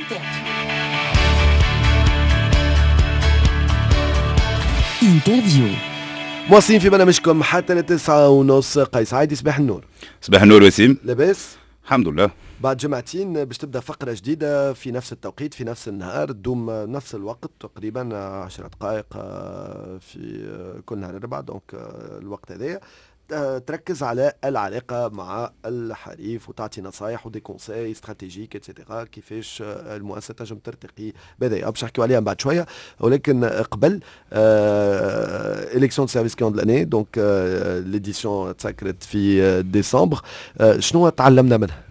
Interview. مواصلين في برنامجكم حتى ل9:30. قيس عايدي، صباح النور. صباح النور وسيم. لاباس؟ الحمد لله. بعد جمعتين باش تبدا فقرة جديدة في نفس التوقيت في نفس النهار، تدوم نفس الوقت تقريبا 10 دقائق في كل نهار الأربعاء، donc الوقت هذايا تركز على العلاقة مع الحريف وتعطي نصايح و des conseils stratégiques et cetera، كيفاش المؤسسة تنجم ترتقي بهذا. باش نحكيو عليها بعد شوية، ولكن قبل élection service client de l'année، donc l'édition تسكرت في ديسمبر، شنو تعلمنا منها؟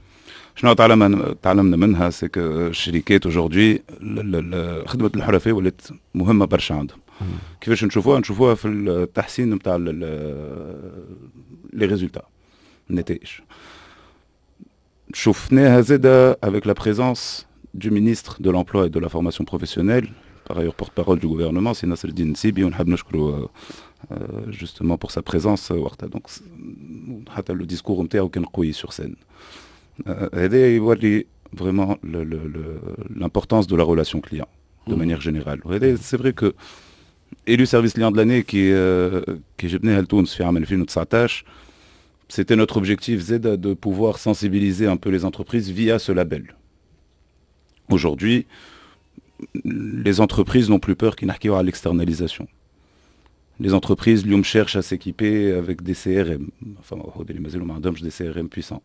شنو تعلمنا منها؟ c'est que الشركات aujourd'hui خدمة الحرفاء ولات مهمة برشا عندهم. كيفاش نشوفوها؟ نشوفوها في التحسين نتاع les résultats، النتائج. شفناها زاده avec la présence du ministre de l'Emploi et de la Formation professionnelle, par ailleurs porte-parole du gouvernement, سي نصر الدين نسيبي، ونحب نشكره justement pour sa présence وقتها. donc حتى le discours نتاعو كان قوي sur scène. هذا يوري vraiment l'importance de la relation client de manière générale. وهذا c'est vrai que élu service client de l'année كي جبناها لتونس في عام 2019، c'était notre objectif زادة de pouvoir sensibiliser un peu les entreprises via ce label. Aujourd'hui, les entreprises n'ont plus peur كي نحكيو على l'externalisation. Les entreprises اليوم cherchent à s'équiper avec des CRM. Enfin, اللي مازالوا ما عندهمش des CRM puissants.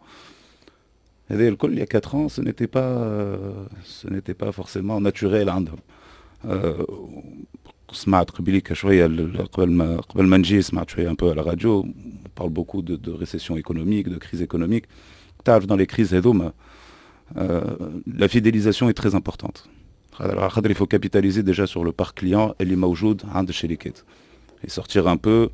هذا الكل il y a 4 ans, ce n'était pas forcément naturel عندهم. سمعت قبيليك شويه، قبل ما نجي سمعت شوية un peu à la radio، on parle beaucoup de récession économique، de crise économique. تعرف dans les crises هذوما la fidélisation est très importante. على خاطر il faut capitaliser déjà sur le parc client اللي موجود عند الشركات et sortir un peu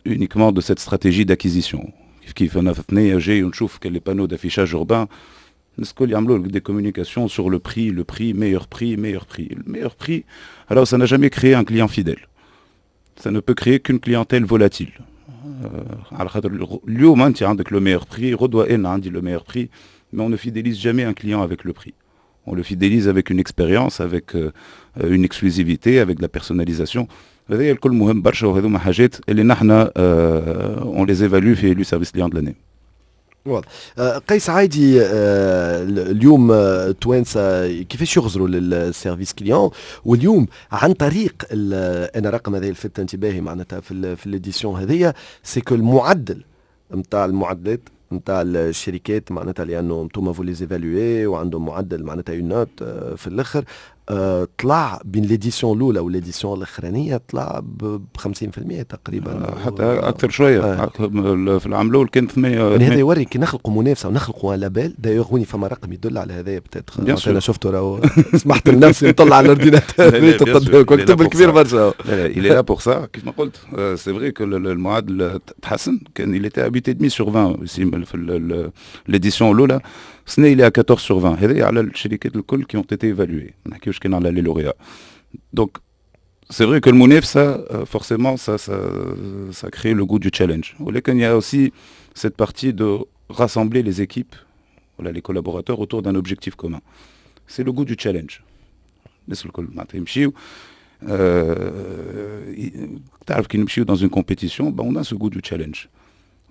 uniquement de cette stratégie d'acquisition. كيف كيف انا في ثنيه جاي ونشوف les panneaux d'affichage urbain، الناس الكل يعملوا des communications sur le prix، le prix، meilleur prix، meilleur prix. Le meilleur prix، alors ça n'a jamais créé un client fidèle. Ça ne peut créer qu'une clientèle volatile. على خاطر اليوم انت عندك le meilleur prix، غدوه انا عندي le meilleur prix، mais on ne fidélise jamais un client avec le prix. On le fidélise avec une expérience، avec une exclusivité، avec de la personnalisation. هذا الكل مهم برشا، وهذوما حاجات اللي نحن on les évalue في élu service client de l'année. واضح. قيس عايدي، اليوم التوانسة كيفاش يغزروا لل service client؟ واليوم عن طريق انا رقم هذا لفت انتباهي معناتها في l'édition هذيا، c'est que المعدل نتاع المعدلات نتاع الشركات، معناتها لانه انتم vous les évaluez وعندهم معدل معناتها une note في الاخر، طلع بين l'édition الاولى و l'édition الاخرانيه، طلع ب 50% تقريبا. حتى اكثر شويه. في العام الاول كان 8. يعني هذا يوري كي نخلقوا منافسه ونخلقوا label. d'ailleurs هوني فما رقم يدل على هذا peut-être، انا شفته راهو، سمحت لنفسي نطلع على l'ordinateur قدامك، كبير برشا. لا لا، il est là pour ça. كيف ما قلت، c'est vrai que المعدل تحسن، كان il était à 8,5 sur 20 في l'édition الاولى، السنة il est à 14 sur 20. هذا على الشركات الكل qui ont été évaluées، ما نحكيوش كان على les lauréats. donc c'est vrai que المنافسة forcément ça crée le goût du challenge. ولكن il y a aussi cette partie de rassembler les équipes، voilà، les collaborateurs autour d'un objectif commun. C'est le goût du challenge. الناس الكل معناتها يمشيو، تعرف كي نمشيو dans une compétition، ben on a ce goût du challenge.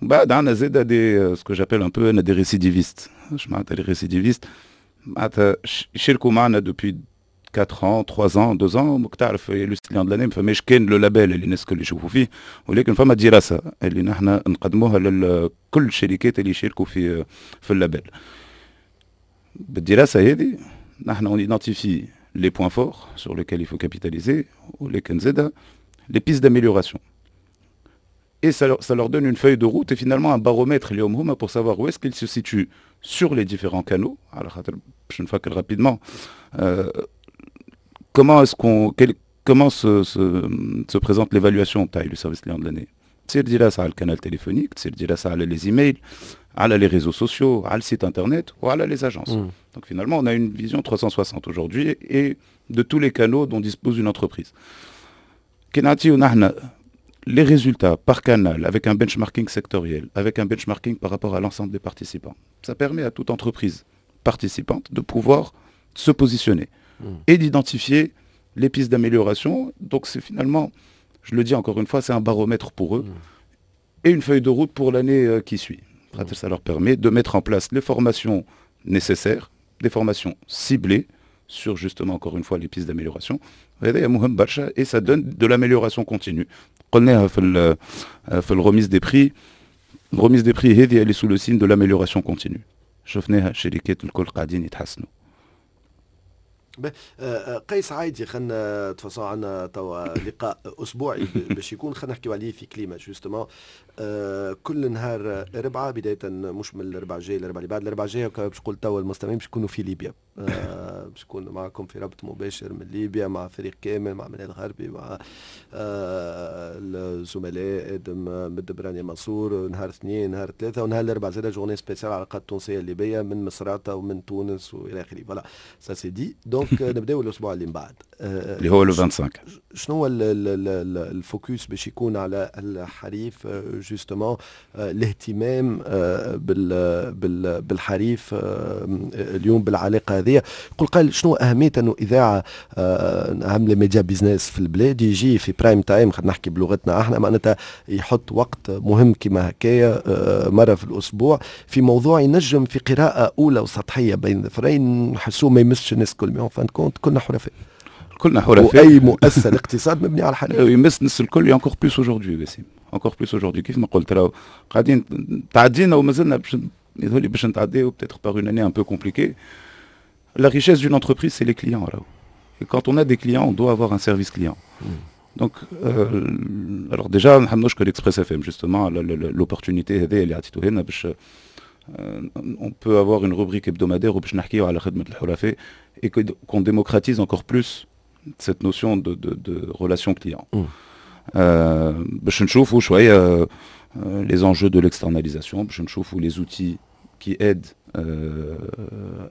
بعد عندنا زاده des ce que j'appelle un peu انا des récidivistes. اش معناتها les récidivistes؟ معناتها يشاركوا معنا depuis 4 ans، 3 ans، 2 ans. تعرف élu client de l'année ما فماش كان le label اللي الناس الكل يشوفوا فيه، ولكن فما دراسة اللي نحن نقدموها لكل الشركات اللي يشاركوا في ال label. بالدراسة هذه نحن on identifie les points forts sur lesquels il faut capitaliser ولكن زاده les pistes d'amélioration. Et ça leur donne une feuille de route et finalement un baromètre اليوم هما pour savoir où est-ce qu'ils se situent sur les différents canaux. على خاطر باش نفكر rapidement comment se présente l'évaluation تاع le service client de l'année. تصير دراسة على ال canal téléphonique، تصير دراسة على les emails، على les réseaux sociaux، على le site internet وعلى les agences. Donc finalement on a une vision 360 aujourd'hui et de tous les canaux dont dispose une entreprise. كي نعطيو نحن les résultats par canal avec un benchmarking sectoriel، avec un benchmarking par rapport à l'ensemble des participants. Ça permet à toute entreprise participante de pouvoir se positionner et d'identifier les pistes d'amélioration. Donc c'est finalement, je le dis encore une fois, c'est un baromètre pour eux et une feuille de route pour l'année qui suit. Ça leur permet de mettre en place les formations nécessaires, des formations ciblées sur justement encore une fois les pistes d'amélioration. Et ça donne de l'amélioration continue. قلناها في ال remise des prix، remise des prix هذه elle est sous le signe de l'amélioration continue. شفناها، الشركات الكل قاعدين يتحسنوا. قيس عايدي، خلينا de toute façon عندنا توا لقاء اسبوعي باش يكون، خلينا نحكيو عليه في كليمه justement كل نهار اربعاء، بداية مش من الاربعاء الجاي، الاربعاء اللي بعد الاربعاء الجاي. باش نقول توا المستمعين باش يكونوا في ليبيا، باش نكون معكم في ربط مباشر من ليبيا مع فريق كامل، مع منال الغربي، مع الزملاء ادم مدبراني منصور، نهار اثنين، نهار ثلاثه، ونهار الاربعاء زاد journée spéciale العلاقات التونسية الليبية من مصراتة ومن تونس والى اخره. voilà، ça c'est dit. donc نبداو الاسبوع اللي من بعد. اللي هو le 25. شنو هو ال focus باش يكون على الحريف justement، الاهتمام بالحريف اليوم، بالعلاقة هذه؟ يقول قال شنو اهمية انه اذاعة اهم les médias business في البلاد يجي في prime time، خلينا نحكي بلغتنا احنا، معناتها يحط وقت مهم كما هكايا مرة في الاسبوع في موضوع ينجم في قراءة اولى وسطحيه بين ظفرين نحسوه ما يمسش الناس الكل، mais en fin de compte كلنا حرفاء. كلنا حرفاء. واي مؤسسة الاقتصاد مبني على الحريف. يمس الناس الكل، encore plus aujourd'hui وسيم، encore plus aujourd'hui. كيف ما قلت راهو قاعدين تعدينا ومازلنا باش يظهر لي باش نتعديو peut-être par une année un peu compliquée. La richesse d'une entreprise, c'est les clients راهو. Et quand on a des clients, on doit avoir un service client. Donc, alors déjà, نحب نشكر Express FM justement l'opportunité هذه اللي عطيتوها لنا باش on peut avoir une rubrique hebdomadaire وباش نحكيو على خدمة الحرفاء et qu'on démocratise encore plus cette notion de relation client. باش نشوفوا شوية les enjeux de l'externalisation، باش نشوفوا les outils qui aident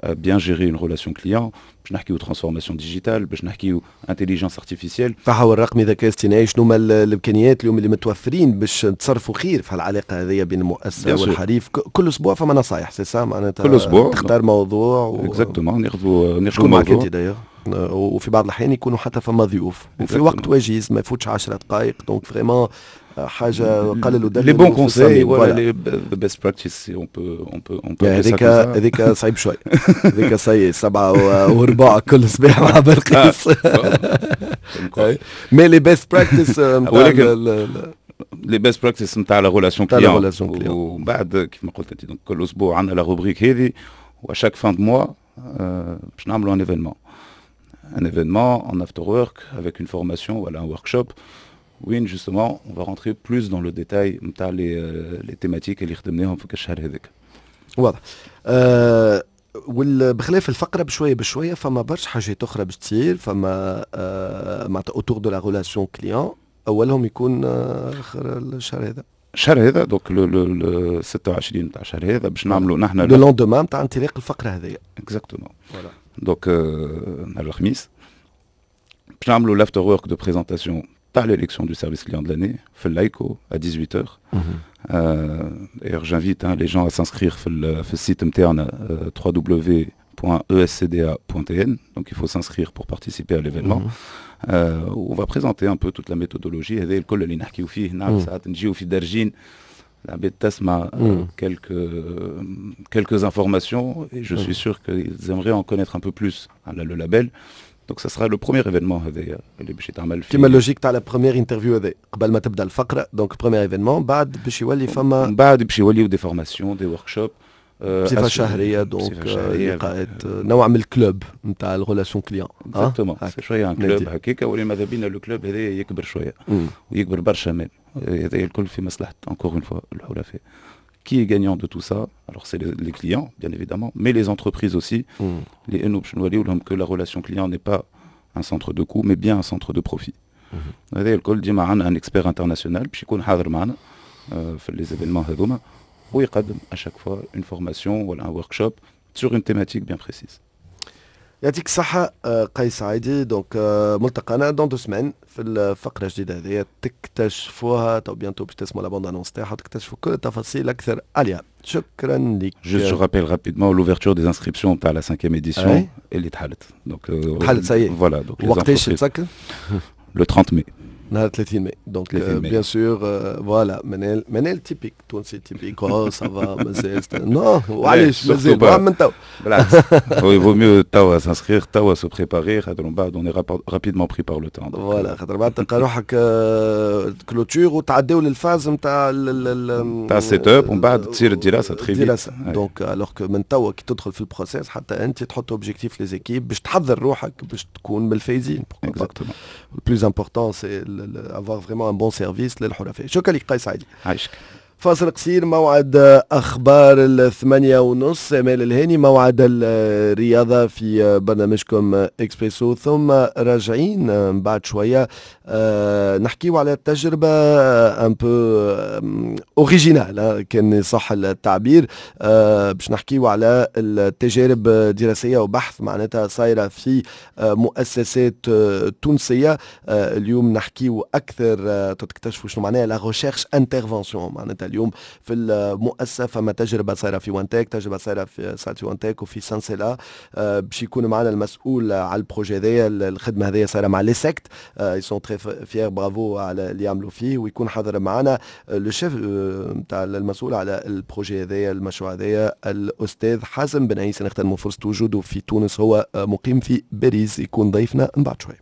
à bien gérer une relation client، باش نحكيو transformation digitale، باش نحكيو intelligence artificielle. تحول رقمي، ذكاء اصطناعي، شنو هما الامكانيات اليوم اللي متوفرين باش تصرفوا خير في العلاقة هذه بين المؤسسة والحريف؟ كل اسبوع فما نصايح، c'est ça معناتها؟ كل اسبوع. تختار موضوع و exactement، ناخذوا ناخذوا موضوع d'ailleurs، وفي بعض الاحيان يكونوا حتى فما ضيوف، وفي وقت وجيز ما يفوتش 10 دقائق، donc vraiment حاجة قلل ودلل. les bons conseils ولا les best practices، on peut هذيك هذيك صعيب شوي، هذيك صعيب 7:15 كل صباح مع بلقيس، mais les best practices. ولكن les best practices نتاع la relation client. ومن بعد كيف ما قلت انت، donc كل اسبوع عندنا la rubrique هذه، و chaque fin de mois باش نعملوا un événement en after work avec une formation ولا un workshop وين justement on va rentrer plus dans le détail نتاع les thématiques اللي خدمناهم في الشهر هذاك. واضح. وبخلاف الفقرة بشوية بشوية فما برشا حاجات اخرى باش تصير، فما معناتها autour de la relation client، اولهم يكون اخر الشهر هذا. الشهر هذا، donc le 26 تاع الشهر هذا باش نعملوا نحن le lendemain تاع انطلاق الفقرة هذه. exactement، donc نهار الخميس باش نعملوا l'after work de présentation تاع l'élection du service client de l'année في اللايكو à 18h. D'ailleurs, j'invite hein, les gens à s'inscrire في ال site نتاعنا www.escda.tn. Donc il faut s'inscrire pour participer à l'événement. On va présenter un peu toute la méthodologie هذا الكل اللي نحكيو فيه. نعرف ساعات نجيو في درجين، العباد تسمع quelques informations et je suis sûr qu'ils aimeraient en connaître un peu plus على le label. Donc ça sera le premier événement هذايا اللي باش يتعمل في كيما logique تاع la première interview هذا قبل ما تبدا الفقره، donc premier événement، بعد باش يولي فما بعد باش يوليو des formations، des workshops. بصفة شهريه، donc لقاءات، نوع من ال club نتاع ال relation client. exactement، شوية un club هكاك، ولي ماذا بينا le club هذا يكبر شوية ويكبر برشا même. هذا الكل في مصلحة encore une fois الحرفاء. Qui est gagnant de tout ça؟ Alors c'est les clients, bien évidemment, mais les entreprises aussi. لأنه باش نوريو لهم que la relation client n'est pas un centre de coût, mais bien un centre de profit. هذا الكل ديما عندنا un expert international باش يكون حاضر معنا في les événements هذوما ويقدم à chaque fois une formation ou un workshop sur une thématique bien précise. يعطيك الصحة قيس عايدي. donc ملتقانا dans 2 semaines في الفقرة الجديدة هذه، تكتشفوها تو bientôt، باش تسمعوا la bande-annonce تاعها وتكتشفوا كل التفاصيل أكثر عليها. شكرا لك. Juste, je rappelle rapidement l'ouverture des inscriptions à la cinquième édition اللي تحلت. Donc, تحلت ça y est. Voilà. Donc, وقتاش تسكر؟ Le 30 mai. نهار 30 mai، donc bien sûr، voilà منال منال typique تونسي typique، oh ça va مازال، non وعلاش مازال من تو. بالعكس، il vaut mieux توا s'inscrire، توا se préparer، خاطر من بعد on est rapidement pris par le temps. voilà، خاطر بعد تلقى روحك clôture وتعداو لل phase نتاع نتاع ال setup ومن بعد تصير الدراسة très vite. الدراسه، donc alors que من توا كي تدخل في ال processus حتى انت تحط objectif les équipes باش تحضر روحك باش تكون من الفايزين. Exactement. Le plus important، c'est avoir vraiment un bon service للحرفاء. شكرا لك قيس عيدي. عايشك. فاصل قصير، موعد اخبار 8:30، امال الهاني، موعد الرياضة في برنامجكم اكسبريسو، ثم راجعين بعد شوية نحكيو على تجربه un peu originale كان صح التعبير، باش نحكيو على التجارب الدراسية وبحث معناتها صايرة في مؤسسات تونسيه. اليوم نحكيو اكثر، تكتشفوا شنو معناها la recherche intervention. معناتها اليوم في المؤسسة فما تجربه صايرة في وانتك، تجربه صايرة في صارت في وانتك وفي سانسيلا. باش يكون معنا المسؤول على ال projet هذايا. الخدمة هذيا صايرة مع l'ESSECT، ils sont très fiers، bravo على اللي يعملوا فيه. ويكون حاضر معنا le chef نتاع المسؤول على ال projet هذايا، المشروع هذايا، الاستاذ حازم بن عيسى. نغتنموا فرصة وجوده في تونس، هو مقيم في باريس، يكون ضيفنا من بعد شوي.